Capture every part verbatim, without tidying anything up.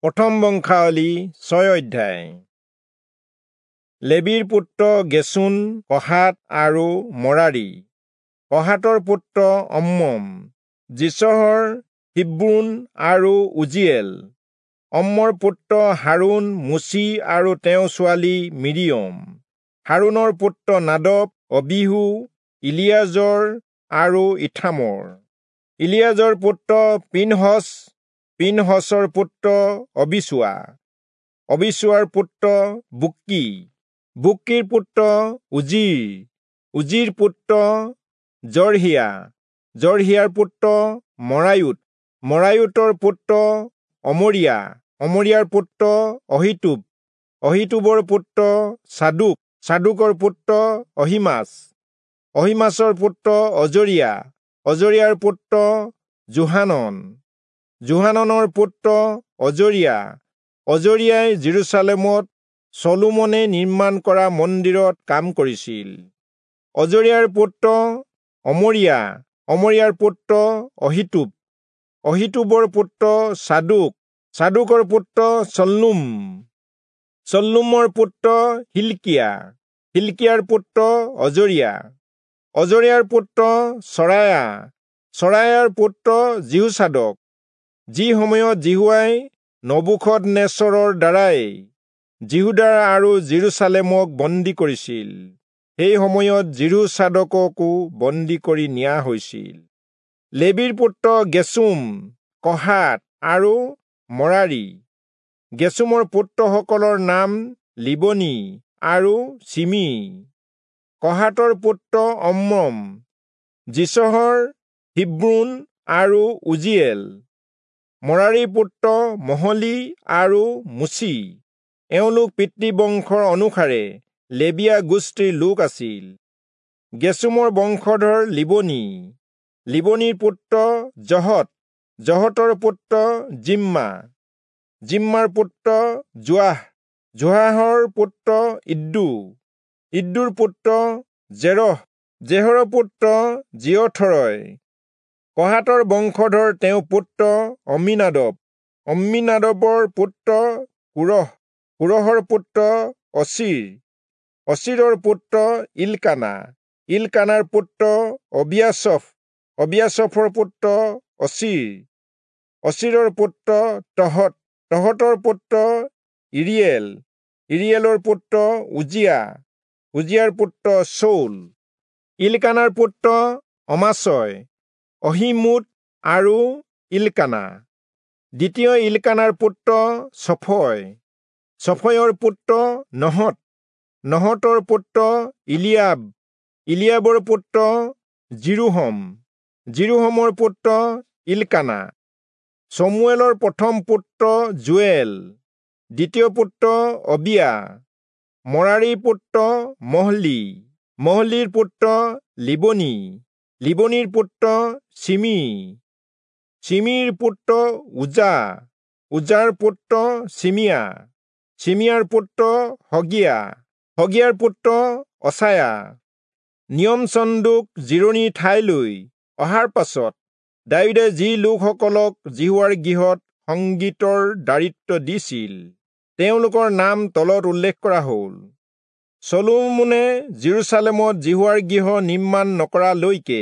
প্ৰথম বংশাৱলী ছয় অধ্যায়। লেবীৰ পুত্ৰ গেচোন, কহাত আৰু মৰাৰী। কহাতৰ পুত্ৰ অম্মম, যিচহৰ, হিব্ৰোন আৰু উজিয়েল। অম্মৰ পুত্ৰ হাৰোণ, মোচি আৰু তেওঁৰ ছোৱালী মিৰিয়ম। হাৰোণৰ পুত্ৰ নাদব, অবীহু, ইলিয়াজৰ আৰু ইথামৰ। ইলিয়াজৰ পুত্ৰ পীনহচ, পীনহচৰ পুত্ৰ অবিচূৱা, অবিচূৱাৰ পুত্ৰ বুক্কি, বুক্কিৰ পুত্ৰ উজিৰ, উজিৰ পুত্ৰ জৰহিয়া, জৰহিয়াৰ পুত্ৰ মৰায়োত, মৰায়োতৰ পুত্ৰ অমৰিয়া, অমৰিয়াৰ পুত্ৰ অহীটূব, অহীটূবৰ পুত্ৰ চাদোক, চাদোকৰ পুত্ৰ অহীমাচ, অহীমাচৰ পুত্ৰ অজৰিয়া, অজৰিয়াৰ পুত্ৰ যোহানন, যোহাননৰ পুত্ৰ অজৰিয়া। অজৰিয়াই যিৰূচালেমত চলোমনে নিৰ্মাণ কৰা মন্দিৰত কাম কৰিছিল। অজৰিয়াৰ পুত্ৰ অমৰিয়া, অমৰিয়াৰ পুত্ৰ অহীটূব, অহীটূবৰ পুত্ৰ চাদোক, চাদোকৰ পুত্ৰ চল্লুম, চল্লুমৰ পুত্ৰ হিলকিয়া, হিলকিয়াৰ পুত্ৰ অজৰিয়া, অজৰিয়াৰ পুত্ৰ চৰায়া, চৰায়াৰ পুত্ৰ যিহোচাদক। যি সময়ত যিহোৱাই নবূখদনেচৰৰ দ্বাৰাই যিহূদা আৰু যিৰূচালেমক বন্দী কৰিছিল, সেই সময়ত যিহোচাদককো বন্দী কৰি নিয়া হৈছিল। লেবীৰ পুত্ৰ গেচোম, কহাত আৰু মৰাৰী। গেচোমৰ পুত্ৰসকলৰ নাম লিবনী আৰু চিমি। কহাতৰ পুত্ৰ অম্ৰম, যিচহৰ, হিব্ৰোন আৰু উজিয়েল। মৰাৰীৰ পুত্ৰ মহলী আৰু মুচি। এওঁলোক পিতৃবংশৰ অনুসাৰে লেবীয়া গোষ্ঠীৰ লোক আছিল। গেচোমৰ বংশধৰ লিবনী, লিবনীৰ পুত্ৰ জহত, জহতৰ পুত্ৰ জিম্মা, জিম্মাৰ পুত্ৰ যোৱাহ, যোৱাহৰ পুত্ৰ ইদ্দো, ইদ্দোৰ পুত্ৰ জেৰহ, জেৰহৰ পুত্ৰ জিয়থৰয়। কহাতৰ বংশধৰ তেওঁৰ পুত্ৰ অম্মীনাদব, অম্মীনাদবৰ পুত্ৰ কোৰহ, কোৰহৰ পুত্ৰ অচীৰ, অচীৰৰ পুত্ৰ ইলকানা, ইলকানাৰ পুত্ৰ অবিয়াচফ, অবিয়াচফৰ পুত্ৰ অচীৰ, অচীৰৰ পুত্ৰ তহত, তহতৰ পুত্ৰ ইৰিয়েল, ইৰিয়েলৰ পুত্ৰ উজিয়া, উজিয়াৰ পুত্ৰ চৌল। ইলকানাৰ পুত্ৰ অমাচয়, অহীমোদ আৰু ইলকানা। দ্বিতীয় ইলকানাৰ পুত্ৰ চফয়, চফয়ৰ পুত্ৰ নহত, নহতৰ পুত্ৰ ইলিয়াব, ইলিয়াবৰ পুত্ৰ যিৰোহম, যিৰোহমৰ পুত্ৰ ইলকানা। চমুৱেলৰ প্ৰথম পুত্ৰ যোৱেল, দ্বিতীয় পুত্ৰ অবিয়া, মৰাৰীৰ পুত্ৰ মহলী, মহলীৰ পুত্ৰ লিবনী, লিবনীৰ পুত্ৰ চিমি, চিমিৰ পুত্ৰ উজা, উজাৰ পুত্ৰ চিমিয়া, চিমিয়াৰ পুত্ৰ হগিয়া, হগিয়াৰ পুত্ৰ অচায়া। নিয়ম চন্দুক জিৰণি ঠাইলৈ অহাৰ পাছত দায়ূদে যি লোকসকলক যিহোৱাৰ গৃহত সংগীতৰ দায়িত্ব দিছিল, তেওঁলোকৰ নাম তলত উল্লেখ কৰা হ'ল। চলোমনে যিৰূচালেমত যিহোৱাৰ গৃহ নিৰ্মাণ নকৰালৈকে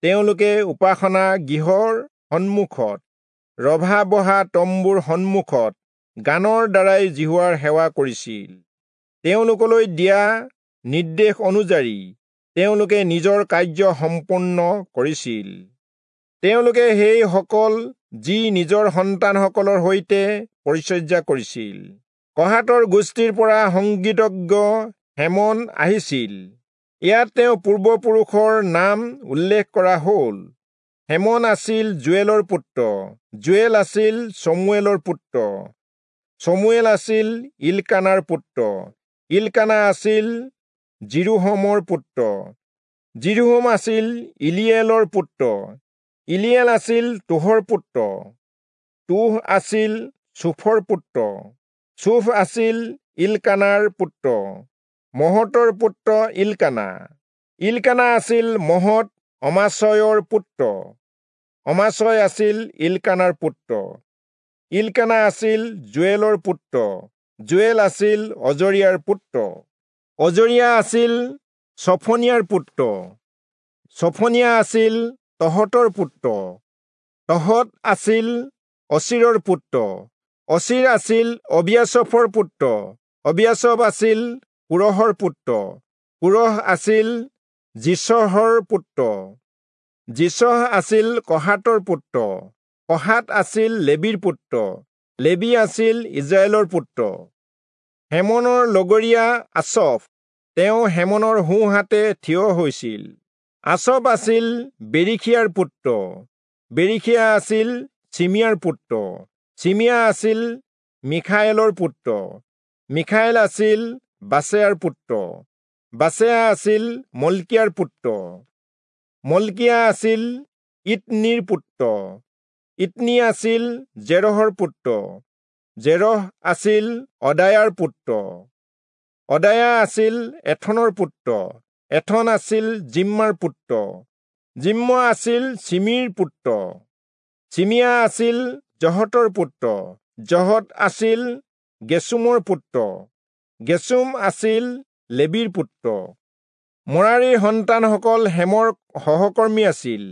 তেওঁলোকে উপাসনা গৃহৰ সন্মুখত ৰভা বহা তম্বুৰ সন্মুখত গানৰ দ্বাৰাই যিহোৱাৰ সেৱা কৰিছিল। তেওঁলোকলৈ দিয়া নিৰ্দেশ অনুযায়ী তেওঁলোকে নিজৰ কাৰ্য সম্পূৰ্ণ কৰিছিল। তেওঁলোকে সেইসকল যি নিজৰ সন্তানসকলৰ সৈতে পৰিচৰ্যা কৰিছিল। কহাতৰ গোষ্ঠীৰ পৰা সংগীতজ্ঞ হেমন আহিছিল। ইয়াত তেওঁ পূৰ্বপুৰুষৰ নাম উল্লেখ কৰা হ'ল। হেমন আছিল যোৱেলৰ পুত্ৰ, যোৱেল আছিল চমুৱেলৰ পুত্ৰ, চমুৱেল আছিল ইলকানাৰ পুত্ৰ, ইলকানা আছিল যিৰোহমৰ পুত্ৰ, যিৰোহম আছিল ইলিয়েলৰ পুত্ৰ, ইলিয়েল আছিল তোহৰ পুত্ৰ, তোহ আছিল চূফৰ পুত্ৰ, চূফ আছিল ইলকানাৰ পুত্ৰ, মহতৰ পুত্ৰ ইলকানা। ইলকানা আছিল মহত অমাচয়ৰ পুত্ৰ, অমাচয় আছিল ইলকানাৰ পুত্ৰ, ইলকানা আছিল যোৱেলৰ পুত্ৰ, যোৱেল আছিল অজৰিয়াৰ পুত্ৰ, অজৰিয়া আছিল চফনিয়াৰ পুত্ৰ, চফনিয়া আছিল তহতৰ পুত্ৰ, তহত আছিল অচিৰৰ পুত্ৰ, অচিৰ আছিল অবিয়াচফৰ পুত্ৰ, অবিয়াচফ আছিল কোৰহৰ পুত্ৰ, কোৰহ আছিল যিচহৰ পুত্ৰ, যিচহ আছিল কহাতৰ পুত্ৰ, কহাত আছিল লেবীৰ পুত্ৰ, লেবী আছিল ইজৰাইলৰ পুত্ৰ। হেমনৰ লগৰীয়া আচফ, তেওঁ হেমনৰ সোঁহাতে থিয় হৈছিল। আচফ আছিল বেৰিখিয়াৰ পুত্ৰ, বেৰিখিয়া আছিল চিমিয়াৰ পুত্ৰ, চিমিয়া আছিল মিখায়েলৰ পুত্ৰ, মিখায়েল আছিল বাচেয়াৰ পুত্ৰ, বাচেয়া আছিল মলকিয়াৰ পুত্ৰ, মলকিয়া আছিল ইতনিৰ পুত্ৰ, ইতনি আছিল জেৰহৰ পুত্ৰ, জেৰহ আছিল অদায়াৰ পুত্ৰ, অদায়া আছিল এথনৰ পুত্ৰ, এথন আছিল জিম্মাৰ পুত্ৰ, জিম্ম আছিল চিমিৰ পুত্ৰ, চিমিয়া আছিল জহতৰ পুত্ৰ, জহত আছিল গেচুমৰ পুত্ৰ, গেচুম আছিল লেবীৰ পুত্ৰ। মৰাৰীৰ সন্তানসকল হেমৰ সহকৰ্মী আছিল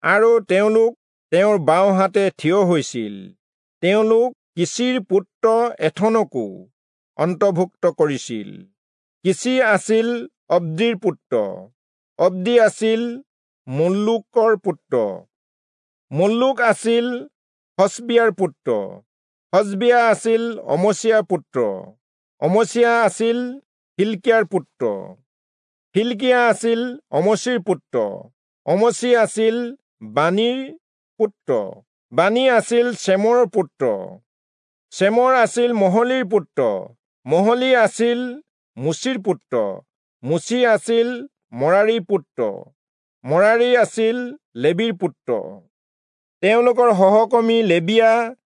আৰু তেওঁলোক তেওঁৰ বাওঁহাতে থিয় হৈছিল। তেওঁলোক কিচিৰ পুত্ৰ এথনকো অন্তৰ্ভুক্ত কৰিছিল। কিচি আছিল অব্দিৰ পুত্ৰ, অব্দি আছিল মল্লুকৰ পুত্ৰ, মল্লুক আছিল হচবিয়াৰ পুত্ৰ, হচবিয়া আছিল অমচিয়াৰ পুত্ৰ, অমচিয়া আছিল হিলকিয়াৰ পুত্ৰ, হিলকিয়া আছিল অমচিৰ পুত্ৰ, অমচি আছিল বানীৰ পুত্ৰ, বানী আছিল চেমৰৰ পুত্ৰ, চেমৰ আছিল মহলিৰ পুত্ৰ, মহলি আছিল মুচিৰ পুত্ৰ, মুচি আছিল মৰাৰীৰ পুত্ৰ, মৰাৰী আছিল লেবীৰ পুত্ৰ। তেওঁলোকৰ সহকৰ্মী লেবীয়া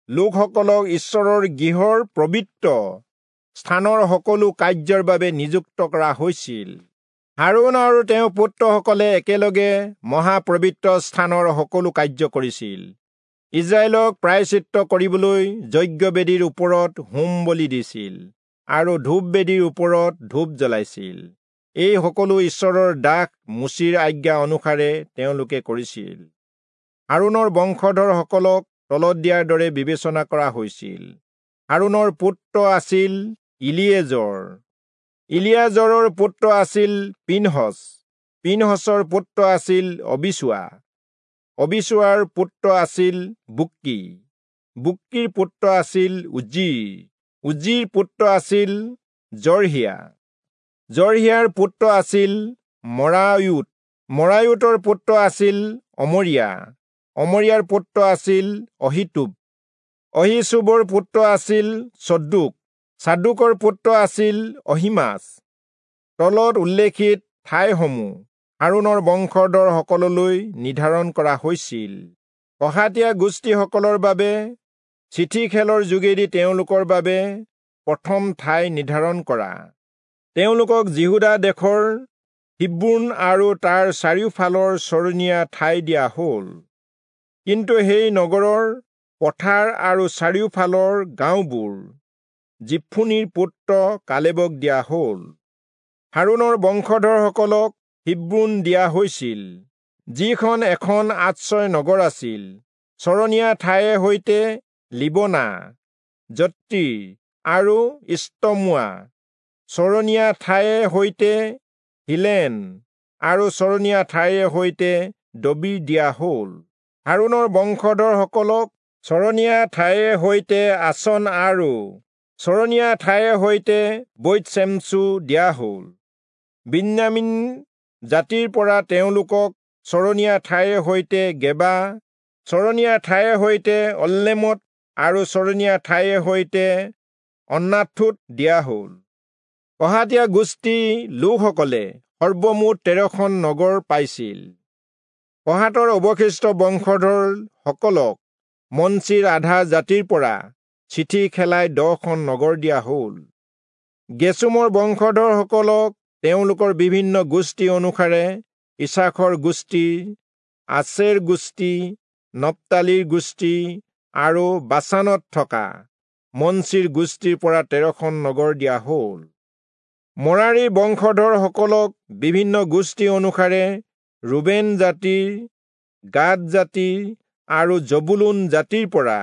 লোকসকলক ঈশ্বৰৰ গৃহৰ পবিত্ৰ স্থানৰ সকলো কাৰ্যৰ বাবে নিযুক্ত কৰা হৈছিল। হাৰোণ আৰু তেওঁৰ পুত্ৰসকলে একেলগে মহাপবিত্ৰ স্থানৰ সকলো কাৰ্য কৰিছিল। ইজৰাইলক প্ৰায়শ্চিত্ত কৰিবলৈ যজ্ঞবেদীৰ ওপৰত হোম বলি দিছিল আৰু ধূপ বেদীৰ ওপৰত ধূপ জ্বলাইছিল। এই সকলো ঈশ্বৰৰ দাস মোচিৰ আজ্ঞা অনুসাৰে তেওঁলোকে কৰিছিল। হাৰোণৰ বংশধৰসকলক তলত দিয়াৰ দৰে বিবেচনা কৰা হৈছিল। হাৰোণৰ পুত্ৰ আছিল ইলিয়েজৰ, ইলিয়াজৰৰ পুত্ৰ আছিল পিনহচ, পিনহচৰ পুত্ৰ আছিল অবিচুৱা, অবিচুৱাৰ পুত্ৰ আছিল বুক্কি, বুক্কিৰ পুত্ৰ আছিল উজ্জীৰ, উজ্জীৰ পুত্ৰ আছিল জৰহিয়া, জৰহিয়াৰ পুত্ৰ আছিল মৰায়ুত, মৰায়ুতৰ পুত্ৰ আছিল অমৰিয়া, অমৰিয়াৰ পুত্ৰ আছিল অহিতুব, অহিচুবৰ পুত্ৰ আছিল চদ্দুক, চাদুকৰ পুত্ৰ আছিল অহিমাচ। তলত উল্লেখিত ঠাইসমূহ হাৰোণৰ বংশধৰসকললৈ নিৰ্ধাৰণ কৰা হৈছিল। কহাতীয়া গোষ্ঠীসকলৰ বাবে চিঠি খেলৰ যোগেদি তেওঁলোকৰ বাবে প্ৰথম ঠাই নিৰ্ধাৰণ কৰা। তেওঁলোকক যিহূদা দেশৰ হিব্ৰোন আৰু তাৰ চাৰিওফালৰ চৰণীয়া ঠাই দিয়া হ'ল। কিন্তু সেই নগৰৰ পথাৰ আৰু চাৰিওফালৰ গাঁওবোৰ যিফুনিৰ পুত্ৰ কালেবক দিয়া হ'ল। হাৰোণৰ বংশধৰসকলক হিব্ৰোন দিয়া হৈছিল, যিখন এখন আশ্ৰয় নগৰ আছিল। চৰণীয়া ঠাইৰ সৈতে লিবনা, যত্তীৰ আৰু ইস্তমোৱা, চৰণীয়া ঠাইৰ সৈতে হিলেন আৰু চৰণীয়া ঠাইৰ সৈতে দবীৰ দিয়া হ'ল। হাৰোণৰ বংশধৰসকলক চৰণীয়া ঠাইৰ সৈতে আচন আৰু চৰণীয়া ঠাইৰ সৈতে বৈৎ-চেমচু দিয়া হ'ল। বিন্যামীন জাতিৰ পৰা তেওঁলোকক চৰণীয়া ঠাইৰ সৈতে গেবা, চৰণীয়া ঠাইৰ সৈতে অল্লেমত আৰু চৰণীয়া ঠাইৰ সৈতে অন্নাথোত দিয়া হ'ল। কহাতীয়া গোষ্ঠী লোকসকলে সৰ্বমুঠ তেৰখন নগৰ পাইছিল। কহাতৰ অৱশিষ্ট বংশধৰসকলক মনচিৰ আধা জাতিৰ পৰা চিঠি খেলাই দহখন নগৰ দিয়া হ'ল। গেচুমৰ বংশধৰসকলক তেওঁলোকৰ বিভিন্ন গোষ্ঠী অনুসাৰে ইছাখৰ গোষ্ঠী, আচেৰ গোষ্ঠী, নপ্তালীৰ গোষ্ঠী আৰু বাচানত থকা মনচিৰ গোষ্ঠীৰ পৰা তেৰখন নগৰ দিয়া হ'ল। মৰাৰীৰ বংশধৰসকলক বিভিন্ন গোষ্ঠী অনুসাৰে ৰুবেন জাতিৰ, গাদ জাতিৰ আৰু জবুলূন জাতিৰ পৰা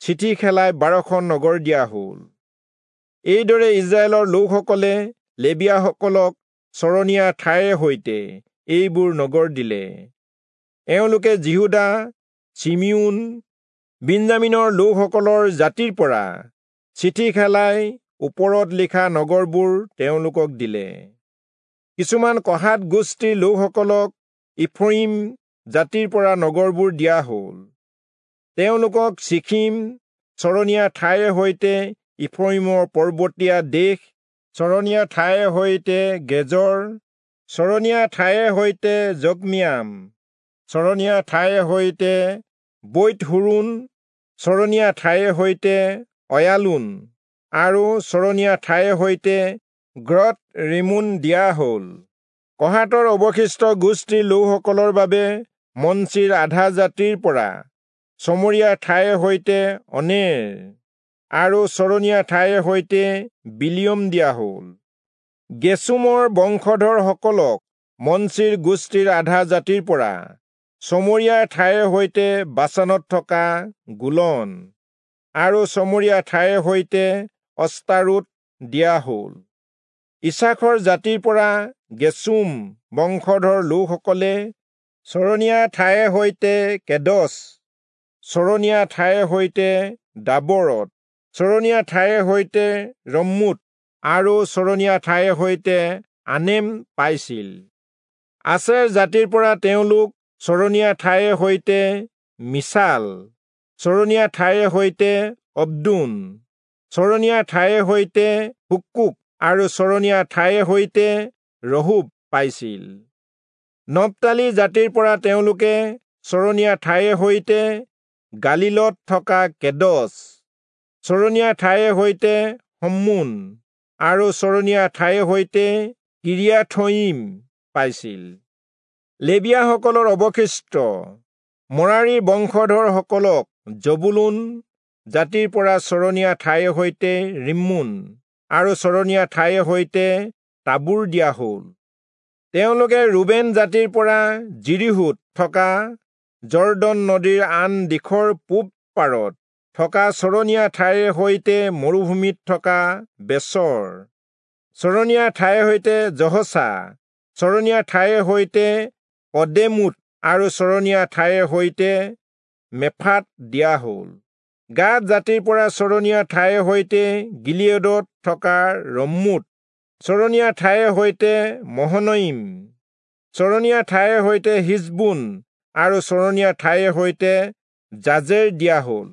চিঠি খেলাই বাৰখন নগৰ দিয়া হ'ল। এইদৰে ইস্ৰায়েলৰ লোকসকলে লেবীয়াসকলক চৰণীয়া ঠাইৰে সৈতে এইবোৰ নগৰ দিলে। এওঁলোকে যিহূদা, চিমিয়োন, বিন্যামীনৰ লোকসকলৰ জাতিৰ পৰা চিঠি খেলাই ওপৰত লিখা নগৰবোৰ তেওঁলোকক দিলে। কিছুমান কহাত গোষ্ঠীৰ লোকসকলক ইফ্ৰয়িম জাতিৰ পৰা নগৰবোৰ দিয়া হ'ল। তেওঁলোকক চিখিম চৰণীয়া ঠাইৰে সৈতে ইফ্ৰয়িমৰ পৰ্বতীয়া দেশ, চৰণীয়া ঠাইৰে সৈতে গেজৰ, চৰণীয়া ঠাইৰে সৈতে যকমিয়াম, চৰণীয়া ঠাইৰে সৈতে বৈৎ-হোৰোণ, চৰণীয়া ঠাইৰে সৈতে অয়ালোন আৰু চৰণীয়া ঠাইৰে সৈতে গ্ৰৎ ৰিমোন দিয়া হ'ল। কহাতৰ অৱশিষ্ট গোষ্ঠীৰ লোকসকলৰ বাবে মনচিৰ আধা জাতিৰ পৰা চমৰীয়া ঠাইৰে সৈতে অনেৰ আৰু চৰণীয়া ঠাইৰে সৈতে বিলিয়ম দিয়া হ'ল। গেচোমৰ বংশধৰসকলক মনচিৰ গোষ্ঠীৰ আধা জাতিৰ পৰা চমৰীয়া ঠাইৰে সৈতে বাচানত থকা গোলন আৰু চমৰীয়া ঠাইৰে সৈতে অস্তাৰোত দিয়া হ'ল। ইচাখৰ জাতিৰ পৰা গেচোম বংশধৰ লোকসকলে চৰণীয়া ঠাইৰে সৈতে কেদচ, চৰণীয়া ঠাইৰে সৈতে দাবৰত, চৰণীয়া ঠাইৰে সৈতে ৰম্মুত আৰু চৰণীয়া ঠাইৰে সৈতে আনেম পাইছিল। আচেৰ জাতিৰ পৰা তেওঁলোক চৰণীয়া ঠাইৰে সৈতে মিছাল, চৰণীয়া ঠাইৰে সৈতে অব্দোন, চৰণীয়া ঠাইৰে সৈতে হুক্কোক আৰু চৰণীয়া ঠাইৰে সৈতে ৰহোব পাইছিল। নপ্তালী জাতিৰ পৰা তেওঁলোকে চৰণীয়া ঠাইৰে সৈতে গালীলত থকা কেদচ, চৰণীয়া ঠাইৰে সৈতে হম্মোন আৰু চৰণীয়া ঠাইৰে সৈতে কিৰিয়াথয়িম পাইছিল। লেবীয়াসকলৰ অৱশিষ্ট মৰাৰীৰ বংশধৰসকলক জবুলূন জাতিৰ পৰা চৰণীয়া ঠাইৰে সৈতে ৰিম্মোন আৰু চৰণীয়া ঠাইৰে সৈতে তাবোৰ দিয়া হ'ল। তেওঁলোকে ৰুবেন জাতিৰ পৰা যিৰীহোত থকা যৰ্দন নদীৰ আন দিশৰ পূব পাৰত থকা চৰণীয়া ঠাইৰে সৈতে মৰুভূমিত থকা বেচৰ, চৰণীয়া ঠাইৰে সৈতে জহচা, চৰণীয়া ঠাইৰে সৈতে কদেমোত আৰু চৰণীয়া ঠাইৰে সৈতে মেফাত দিয়া হ'ল। গাদ জাতিৰ পৰা চৰণীয়া ঠাইৰে সৈতে গিলিয়দত থকা ৰম্মোত, চৰণীয়া ঠাইৰে সৈতে মহনয়িম, চৰণীয়া ঠাইৰে সৈতে হিচবোন আৰু চৰণীয়া ঠাইৰে সৈতে জাজেৰ দিয়া হ'ল।